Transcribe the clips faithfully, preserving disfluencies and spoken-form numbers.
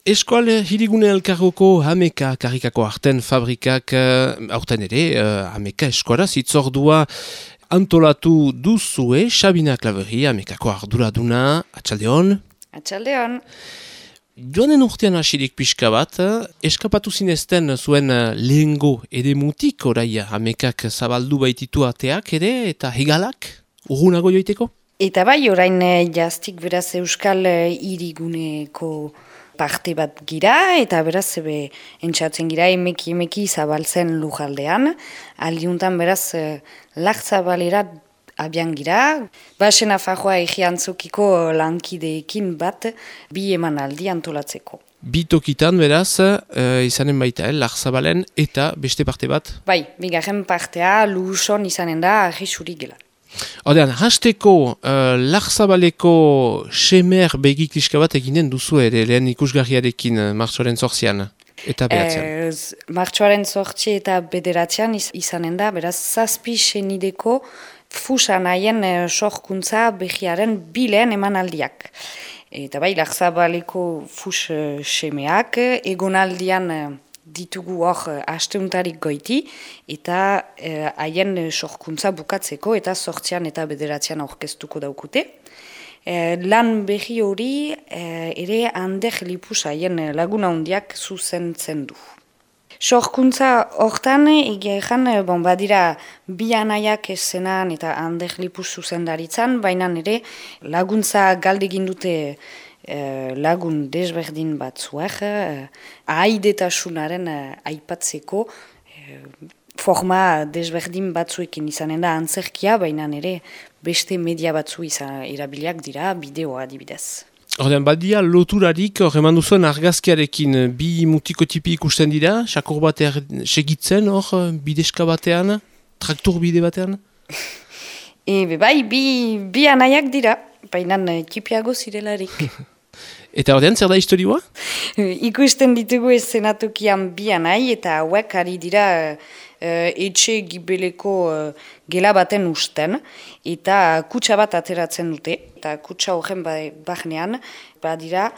Eskual hirigune elkargoko hameka karrikako arten fabrikak aurten ere, uh, hameka eskuala zitzordua antolatu duzue, Sabina Klaveri, hamekako arduraduna, atxaldeon. Atxaldeon. Joanen urtean hasirik pixka bat, eskapatu zinezten zuen lehengo edemutik, orai hamekak zabaldu baititu ateak ere, eta hegalak, urgunago joiteko? Eta bai, orain jaztik beraz Euskal hiriguneko parte bat gira, eta beraz ebe entxatzen gira emeki emeki zabaltzen lujaldean. Aldiuntan beraz lagzabalera abian gira. Basen afajoa egiantzukiko lankideekin bat bi emanaldi antolatzeko. Bi tokitan beraz, uh, izanen baita, eh, lagzabalen eta beste parte bat? Bai, bigarren partea luson izanen da agisuri gela. Ordean, hasteko uh, lagzabaleko semer begikliska bat eginen duzu ere lehen ikusgarriarekin uh, martxoaren zortzian eta behatzean. E, martxoaren zortzi eta bederatzean iz, izanen da, beraz zazpi senideko fusan haien uh, sorkuntza behiaren bileen emanaldiak. Eta bai, lagzabaleko fus uh, semeak egonaldian uh, ditugu hor asteuntarik goiti, eta haien eh, sorkuntza bukatzeko, eta sortzean eta bederatzean aurkeztuko daukute. Eh, lan behi hori eh, ere Ander Lipus haien laguna hundiak zuzentzen du. Sorkuntza hortan, egia ezan, bon, badira bi anaiak esenan eta Ander Lipus zuzendaritzan, baina ere laguntza galdegin dute Uh, lagun desberdin batzuek, uh, ahaidetasunaren uh, aipatzeko uh, forma desberdin batzuekin izanen da antzerkia, baina ere beste media batzu izan erabiliak dira, bideoa adibidez. Ordean, badia loturarik, hor eman duzuen argazkiarekin bi mutikotipi ikusten dira, sakur bat er, segitzen hor, bideska batean, traktor bide batean? Ebe bai, bi, bi anaiak dira, baina tipiago zirelarik. Eta ordean, zer da historioa? Ikusten ditugu eszenatokian bi anai, eta hauek ari dira uh, etxe gibeleko uh, gela baten usten, eta kutsa bat ateratzen dute, eta kutsa horren bahnean, badira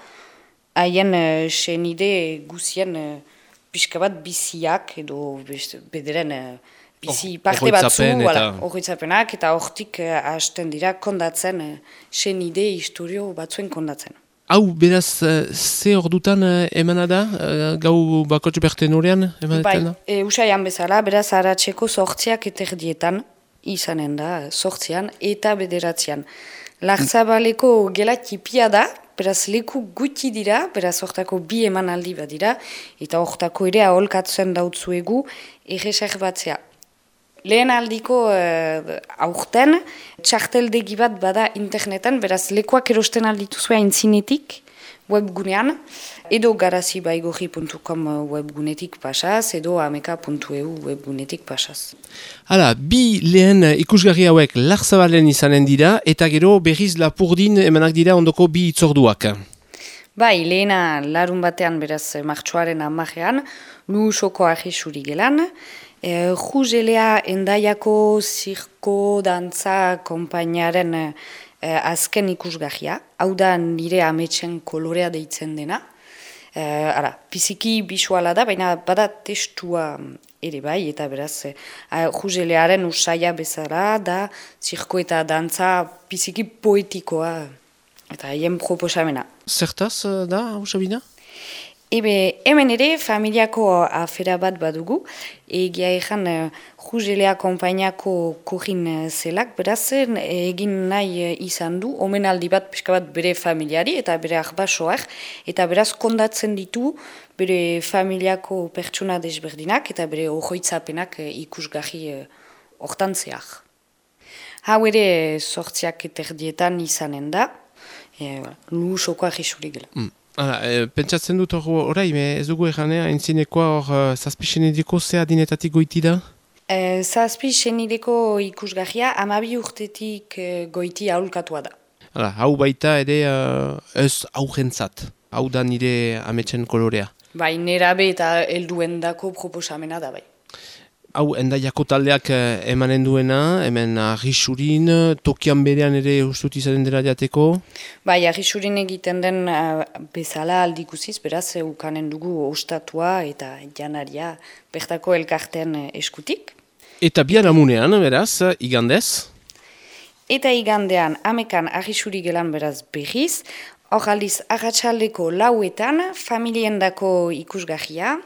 haien uh, senide guzien uh, pixka bat biziak, edo bederen uh, bizi oh, parte batzu, horretzapenak, eta hortik uh, hasten dira kondatzen, uh, senide historio batzuen kondatzen. Hau, beraz, uh, ze ordutan uh, emana da, uh, gau bakotx berten horrean emanetan da? Bai, e, usaian bezala, beraz, haratzeko sortziak eterdietan, izanen da, sortzian eta bederatzean. Lagzabaleko gela tipia da, beraz, leku guti dira, beraz, hortako bi emanaldi bat dira, eta hortako ere aholkatzen dautzuegu erreser batzea. Lehen aldiko uh, aurten, txarteldegi bat bada internetan, beraz lekuak erosten aldituzua intzinetik webgunean, edo garazibaigorri puntu com webgunetik pasaz, edo ameka puntu e u webgunetik pasaz. Hala, bi lehen ikusgarri hauek lagzabalen izanen dira, eta gero berriz lapurdin emanak dira ondoko bi itzorduak. Bai, lehena larun batean, beraz martxoaren amajean, Luusoko ahisuri gelan, E, Juzelea endaiako zirko dantza konpainaren e, azken ikusgarria, hau da nire ametsen kolorea deitzen dena. E, ara, biziki bisuala da, baina bada testua ere bai, eta beraz e, Juzelearen usaia bezala da zirko eta dantza biziki poetikoa, eta haien proposamena. Zertaz da, hau Sabina? Ebe, hemen ere familiako afera bat badugu, egia ezan Juzelea konpainako korin zelak, beraz egin nahi izan du, omenaldi bat pixka bat bere familiari eta bere ahbasoak, eta beraz kondatzen ditu bere familiako pertsona desberdinak eta bere ohoitzapenak ikusgarri hortantzeak. Hau ere sortziak eterdietan izanen da, e, Luusoko ahisuri gela. Mm. Hala, e, pentsatzen dut hor orai, ez dugu eganea, entzinekoa hor zazpi senideko zea dinetatik goiti da? E, zazpi senideko ikusgarria amabi urtetik e, goiti aholkatua da. Hala, hau baita ere uh, ez aurrentzat, hau da nire ametsen kolorea. Bai, nerabe eta helduendako proposamena da bai. Hau, endaiako taldeak eh, emanen duena, hemen Argixurin, tokian berean ere ustut izanen dela jateko? Bai, Argixurin egiten den uh, bezala aldikuziz, beraz, ukanen dugu ostatua eta janaria bertako elkarten uh, eskutik. Eta bian amunean, beraz, igandez? Eta igandean, amekan Argixuri gelan beraz berriz, hor aldiz arratsaldeko lauetan, familiendako ikusgahia,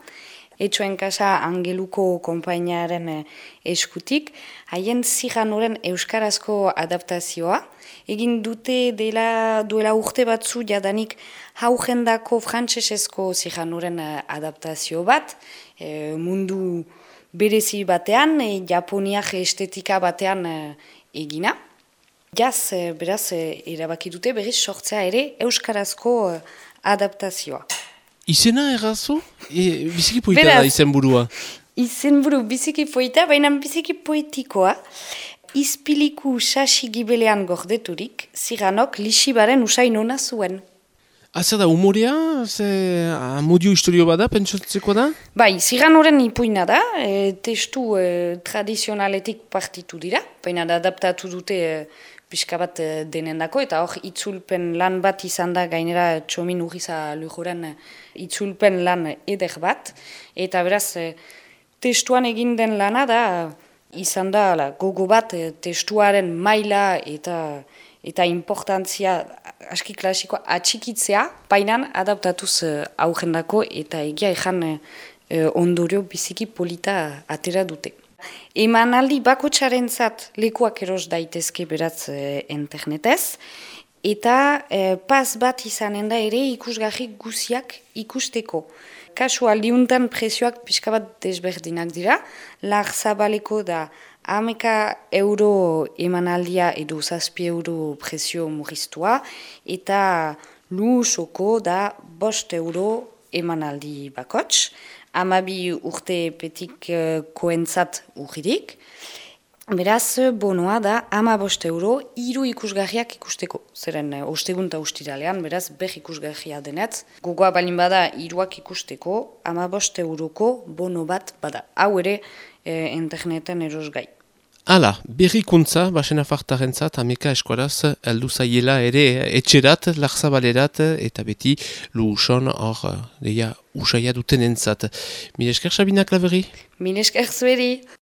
etxoen kasa Angeluko konpainiaren eskutik, haien ziganoren euskarazko adaptazioa. Egin dute dela, duela urte batzu jadanik haujendako frantsesezko ziganoren adaptazio bat, e, mundu berezi batean, e, japoniak estetika batean e, egina. Jaz, e, beraz, e, erabaki dute berriz sortzea ere euskarazko e, adaptazioa. Izena errazu? E, biziki poita da izen burua. Izen buru biziki poita, baina biziki poetikoa. Izpiliku sasi gibelean gordeturik, ziganok lixibaren usain ona zuen. Azer da, humorea? Ze amodio historio bada, pentsatzeko da? Bai, ziganoren ipuina da, e, testu e, tradizionaletik partitu dira, baina da adaptatu dute e, pixka bat e, denendako, eta hor itzulpen lan bat izan da gainera Txomin Urriza Lujoren itzulpen lan eder bat, eta beraz e, testuan egin den lana da, izan da la, gogo bat e, testuaren maila eta eta importantzia aski klasikoa atxikitzea, bainan adaptatuz e, aurrendako eta egia ejan e, ondorio biziki polita atera dute. Emanaldi bakotxarentzat lekuak eros daitezke beratz e, internetez, eta e, pas bat izanen da ere ikusgarri guziak ikusteko. Kasu aldiuntan prezioak pixka bat desberdinak dira, lar zabaleko da hameka euro emanaldia edo zazpi euro prezio murriztua, eta lusoko da bost euro emanaldi bakots, amabi urte petik uh, koentzat urridik. Beraz, bonoa da ama bost euro hiru ikusgarriak ikusteko. Zeren, uh, ostegunta ustiralean, beraz, ber ikusgarria denetz. Gogoa balin bada hiruak ikusteko, ama bost euroko bono bat bada. Hau ere, eh, interneten erosgai. Hala, berrikuntza, basen afartarentzat, ameka eskuaraz, heldu zaiela ere etxerat, larzabalerat, eta beti luuson hor, deia, usaia duten entzat. Mil esker, Sabina Klaverri? Mil esker zueri!